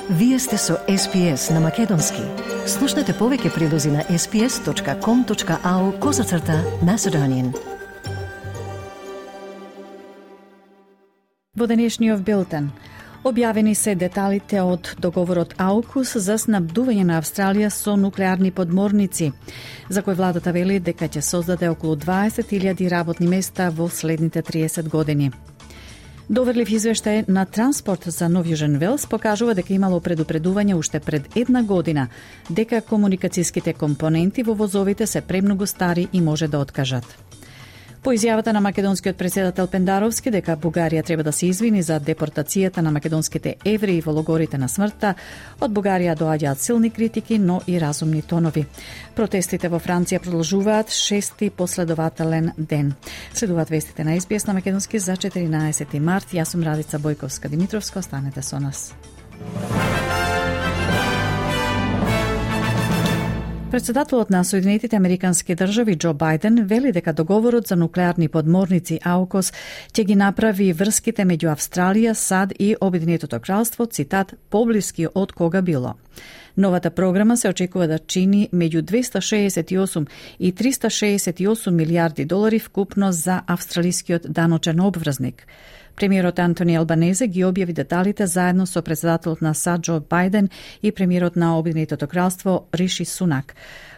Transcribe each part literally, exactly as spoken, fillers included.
Вие сте со Ес Пи Ес на Македонски. Слушнете повеќе прилози на ес пи ес точка ком точка ау козацрта Macedonian. Во денешниот билтен објавени се деталите од договорот Аукус за снабдување на Австралија со нуклеарни подморници, за кој владата вели дека ќе создаде околу дваесет илјади работни места во следните триесет години. Доверлив извештај на Транспорт за Нов Јужен Велс покажува дека имало предупредување уште пред една година дека комуникацијските компоненти во возовите се премногу стари и може да откажат. По изјавата на македонскиот претседател Пендаровски дека Бугарија треба да се извини за депортацијата на македонските евреи во логорите на смртта, од Бугарија доаѓаат силни критики, но и разумни тонови. Протестите во Франција продолжуваат шести последователен ден. Следуваат вестите на Ес Би Ес на македонски за четиринаесети март. Јас сум Радица Бојковска-Димитровска, останете со нас. Председателот на Соединетите Американски држави Џо Бајден вели дека договорот за нуклеарни подморници Аукос ќе ги направи врските меѓу Австралија, САД и Обединетото кралство, цитат, поблиски од кога било. Новата програма се очекува да чини меѓу двеста шеесет и осум и триста шеесет и осум милијарди долари вкупно за австралискиот даночен обврзник. Премиерот Антони Албанезе ги објави деталите заедно со председателот на САД Џо Бајден и премиерот на Обединетото кралство Риши Сунак.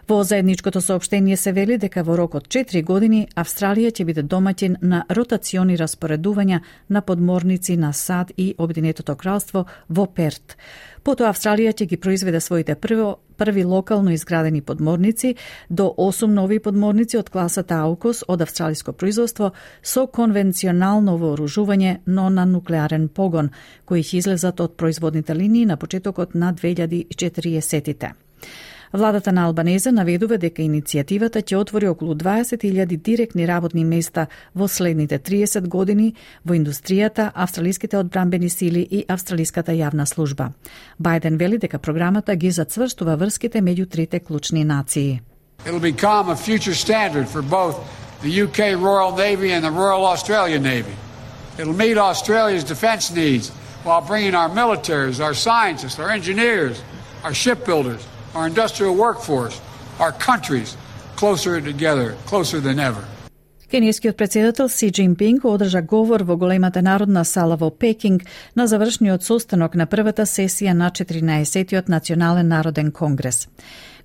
Во заедничкото соопштение се вели дека во рок од четири години Австралија ќе биде домаќин на ротациони распоредувања на подморници на САД и Обединетото кралство во Перт. Потоа Австралија ќе ги произведе своите прво, први локално изградени подморници, до осум нови подморници од класата Аукос од австралиско производство со конвенционално вооружување, но на нуклеарен погон, кои ќе излезат од производните линии на почетокот на две илјади и четириесетите. Владата на Албанезе наведува дека иницијативата ќе отвори околу дваесет илјади директни работни места во следните триесет години во индустријата, австралиските одбранбени сили и австралиската јавна служба. Бајден вели дека програмата ги зацврстува врските меѓу трите клучни нации. It'll become a future standard for both the U K Royal Navy and the Royal Australian Navy. It'll meet Australia's defence needs while bringing our militaries, our scientists, our engineers, our shipbuilders, our industrial workforce, our countries closer together, closer than ever. Кенијскиот претседател Си Џинпинг одржа говор во големата народна сала во Пекинг на завршниот состанок на првата сесија на четиринаесеттиот Национален народен конгрес.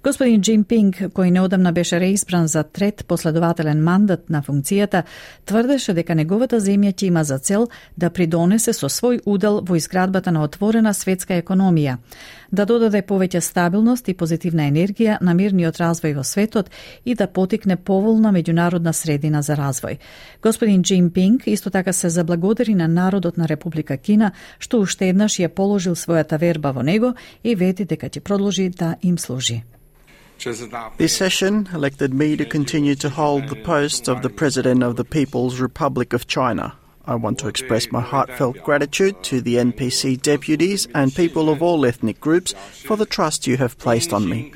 Господин Џинпинг, кој неодамна беше реизбран за трет последователен мандат на функцијата, тврдеше дека неговата земја ќе има за цел да придонесе со свој удел во изградбата на отворена светска економија, да додаде повеќе стабилност и позитивна енергија на мирниот развој во светот и да потикне поволна меѓународна средина за развој. Господин Џинпинг исто така се заблагодари на народот на Република Кина што уште еднаш ја положил својата верба во него и вети дека ќе продолжи да им служи. This session elected me to continue to hold the post of the President of the People's Republic of China. I want to express my heartfelt gratitude to the N P C deputies and people of all ethnic groups for the trust you have placed on me.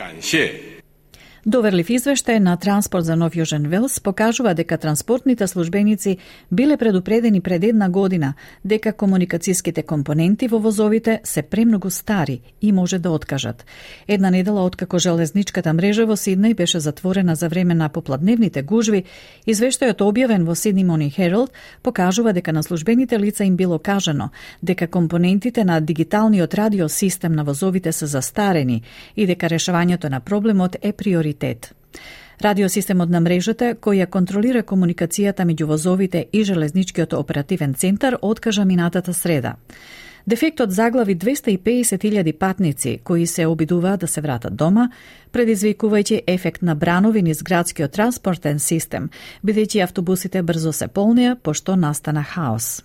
Доверлив извештај на Транспорт за Нов Јужен Велс покажува дека транспортните службеници биле предупредени пред една година дека комуникацијските компоненти во возовите се премногу стари и може да откажат. Една недела откако железничката мрежа во Сиднеј беше затворена за време на попладневните гужви, извештајот објавен во Sydney Morning Herald покажува дека на службените лица им било кажано дека компонентите на дигиталниот радиосистем на возовите се застарени и дека решавањето на проблемот е приоритет. Радиосистемот на мрежата, кој ја контролира комуникацијата меѓу возовите и железничкиот оперативен центар, откажа минатата среда. Дефектот заглави двеста и педесет илјади патници кои се обидуваат да се вратат дома, предизвикувајќи ефект на бранови низ градскиот транспортен систем, бидејќи автобусите брзо се полнеа пошто настана хаос.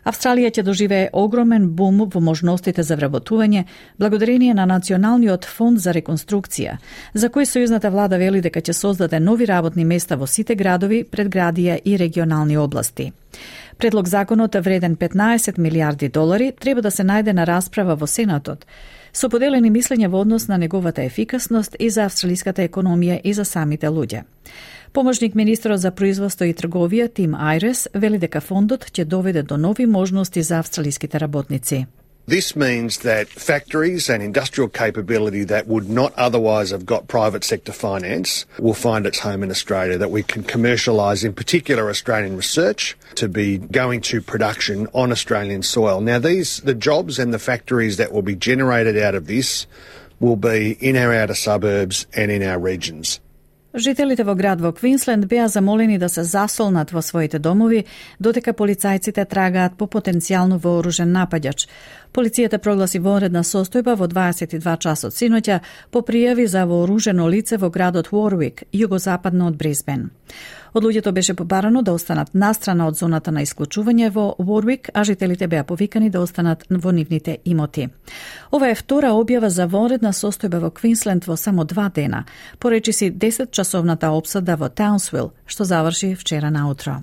Австралија ќе доживее огромен бум во можностите за вработување благодарение на Националниот фонд за реконструкција, за кој сојузната влада вели дека ќе создаде нови работни места во сите градови, предградија и регионални области. Предлог законот вреден петнаесет милијарди долари треба да се најде на расправа во Сенатот, со поделени мислења во однос на неговата ефикасност и за австралиската економија и за самите луѓе. Помошник министерот за производство и трговија Тим Айрес вели дека фондот ќе доведе до нови можности за австралиските работници. This means that factories and industrial capability that would not otherwise have got private sector finance will find its home in Australia, that we can commercialise, in particular, Australian research to be going to production on Australian soil. Now, these, the jobs and the factories that will be generated out of this will be in our outer suburbs and in our regions. Жителите во град во Квинсленд беа замолени да се засолнат во своите домови, додека полицајците трагаат по потенцијално вооружен напаѓач. Полицијата прогласи вонредна состојба во дваесет и два часот синоќа по пријави за вооружено лице во градот Уорвик, југозападно од Брисбен. Од луѓето беше побарано да останат настрана од зоната на исклучување во Уорвик, а жителите беа повикани да останат во нивните имоти. Ова е втора објава за вонредна состојба во Квинсленд во само два дена, поречи си десетчасовната опсада во Таунсвил, што заврши вчера наутро.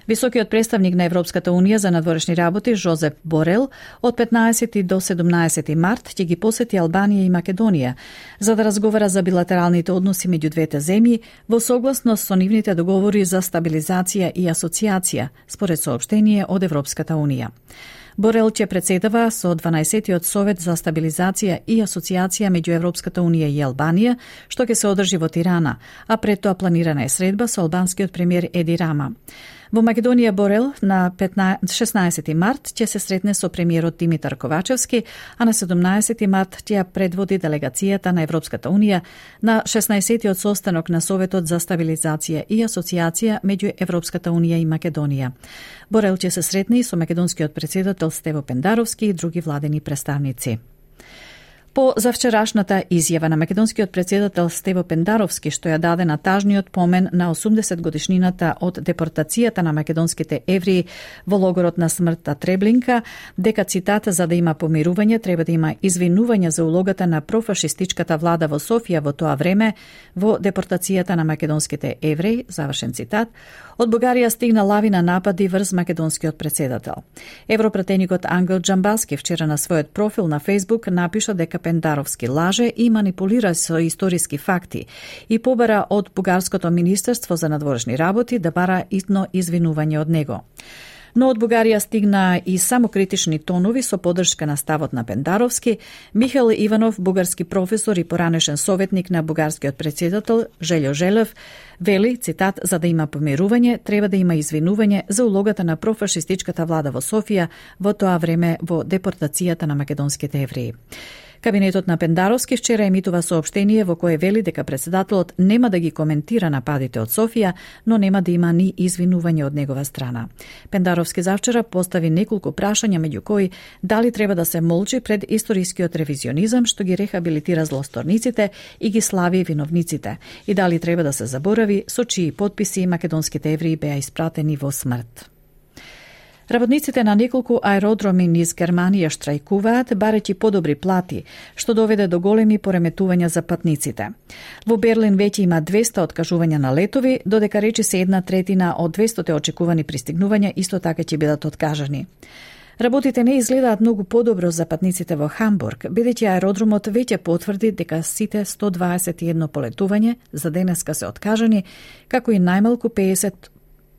Високиот представник на Европската Унија за надворешни работи Жозеп Борел од петнаесети до седумнаесети март ќе ги посети Албанија и Македонија за да разговара за билатералните односи меѓу двете земји во согласност со нивните договори за стабилизација и асоциација, според соопштение од Европската Унија. Борел ќе председава со дванаесеттиот Совет за стабилизација и асоциација меѓу Европската Унија и Албанија, што ќе се одржи во Тирана, а пред тоа планирана е средба со албанскиот премиер Еди Рама. Во Македонија Борел на шеснаесети март ќе се сретне со премиерот Димитар Ковачевски, а на седумнаесети март ќе ја предводи делегацијата на Европската Унија на шеснаесеттиот состанок на Советот за стабилизација и асоциација меѓу Европската Унија и Македонија. Борел ќе се сретне и со македонскиот председател Стево Пендаровски и други владени представници. По завчерашната изјава на македонскиот председател Стево Пендаровски, што ја даде на тажниот помен на осумдесет годишнината од депортацијата на македонските евреи во логорот на смртта Треблинка, дека цитат за да има помирување треба да има извинување за улогата на профашистичката влада во Софија во тоа време во депортацијата на македонските евреи, завршен цитат, од Бугарија стигна лавина напади врз македонскиот председател. Европратеникот Ангел Джамбаски вчера на својот профил на Facebook напиша дека Пендаровски лаже и манипулира со историски факти и побара од Бугарското министерство за надворешни работи да бара итно извинување од него. Но од Бугарија стигна и самокритични тонови со поддршка на ставот на Пендаровски. Михаил Иванов, бугарски професор и поранешен советник на бугарскиот председател Желјо Желев, вели, цитат, за да има помирување, треба да има извинување за улогата на профашистичката влада во Софија во тоа време во депортацијата на македонските евреи. Кабинетот на Пендаровски вчера емитува соопштение во кое вели дека председателот нема да ги коментира нападите од Софија, но нема да има ни извинување од негова страна. Пендаровски завчера постави неколку прашања, меѓу кои дали треба да се молчи пред историскиот ревизионизам што ги рехабилитира злосторниците и ги слави виновниците, и дали треба да се заборави со чии потписи македонските евреи беа испратени во смрт. Работниците на неколку аеродроми низ Германија штрајкуваат, барејќи подобри плати, што доведе до големи пореметувања за патниците. Во Берлин веќе има двесте откажувања на летови, додека речиси една третина од двестото очекувани пристигнувања исто така ќе бидат откажани. Работите не изгледаат многу подобро за патниците во Хамбург, бидејќи аеродромот веќе потврди дека сите сто дваесет и едно полетување за денеска се откажани, како и најмалку пеесет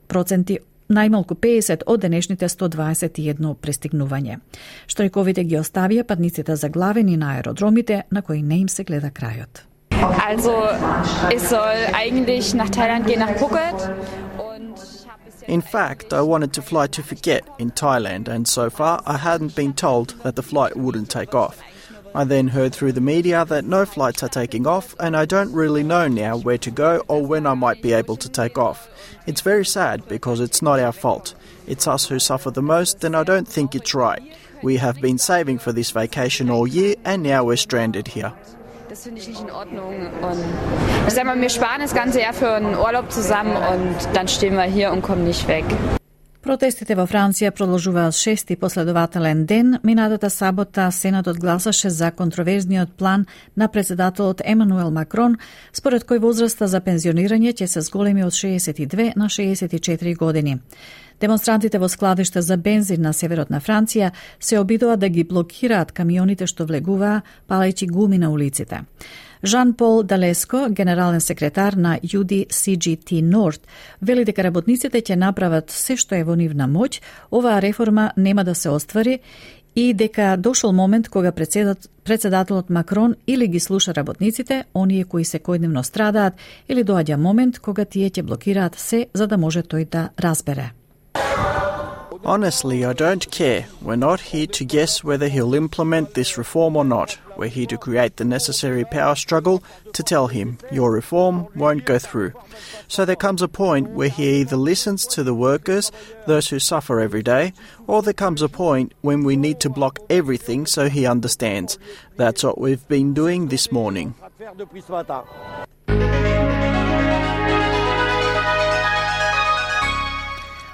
проценти најмалку пеесет од денешните сто дваесет и едно пристигнување. Штрајковите ги оставија патниците заглавени на аеродромите на кои не им се гледа крајот. Also, es soll eigentlich nach Thailand gehen, nach Phuket. In fact, I wanted to fly to Phuket in Thailand, and so far I hadn't been told that the flight wouldn't take off. I then heard through the media that no flights are taking off, and I don't really know now where to go or when I might be able to take off. It's very sad because it's not our fault. It's us who suffer the most, and I don't think it's right. We have been saving for this vacation all year, and now we're stranded here. Das finde ich nicht in Ordnung. Und ich sag mal, wir sparen das ganze Jahr für einen Urlaub zusammen und dann stehen wir hier und kommen nicht weg. Протестите во Франција продолжуваат шести последователен ден. Минатата сабота Сенатот гласаше за контроверзниот план на председателот Емануел Макрон, според кој возраста за пензионирање ќе се зголеми од шеесет и две на шеесет и четири години. Демонстрантите во складиште за бензин на северот на Франција се обидоа да ги блокираат камионите што влегуваа, палејќи гуми на улиците. Жан-Пол Далеско, генерален секретар на Ю Ди Си Джи Ти Норд, вели дека работниците ќе направат се што е во нивна моќ, оваа реформа нема да се оствари и дека дошол момент кога председат, председателот Макрон или ги слуша работниците, оние кои секојдневно страдаат, или доаѓа момент кога тие ќе блокираат се за да може тој да разбере. Honestly, I don't care. We're not here to guess whether he'll implement this reform or not. We're here to create the necessary power struggle to tell him your reform won't go through. So there comes a point where he either listens to the workers, those who suffer every day, or there comes a point when we need to block everything so he understands. That's what we've been doing this morning.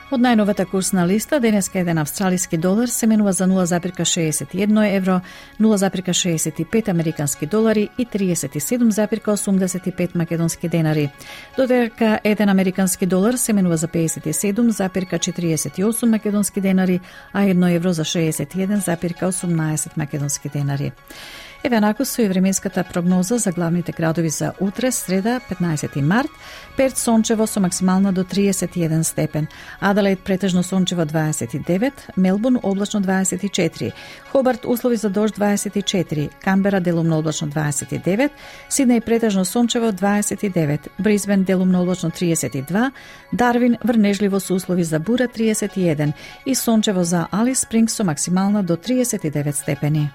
Од најновата курсна листа, денеска еден австралиски долар се менува за нула зарез шеесет и едно евро, нула зарез шеесет и пет американски долари и триесет и седум зарез осумдесет и пет македонски денари. Додека еден американски долар се менува за пеесет и седум зарез четириесет и осум македонски денари, а едно евро за шеесет и еден зарез осумнаесет македонски денари. Еве нако со и временската прогноза за главните градови за утре, среда, петнаесети март. Перт сончево со максимална до триесет и еден степен. Аделаид претежно сончево дваесет и девет, Мелбурн облачно дваесет и четири, Хобарт услови за дожд дваесет и четири, Камбера делумно облачно дваесет и девет, Сиднеј претежно сончево дваесет и девет, Брисбен делумно облачно триесет и два, Дарвин врнежливо со услови за бура триесет и еден и сончево за Алис Спрингс со максимална до триесет и девет степени.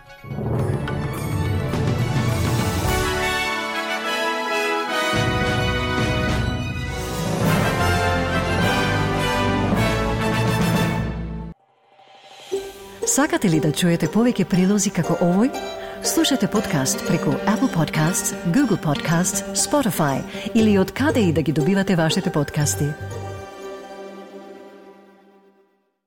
Сакате ли да чуете повеќе прилози како овој? Слушате подкаст преку Apple Podcasts, Google Podcasts, Spotify или од каде и да ги добивате вашите подкасти.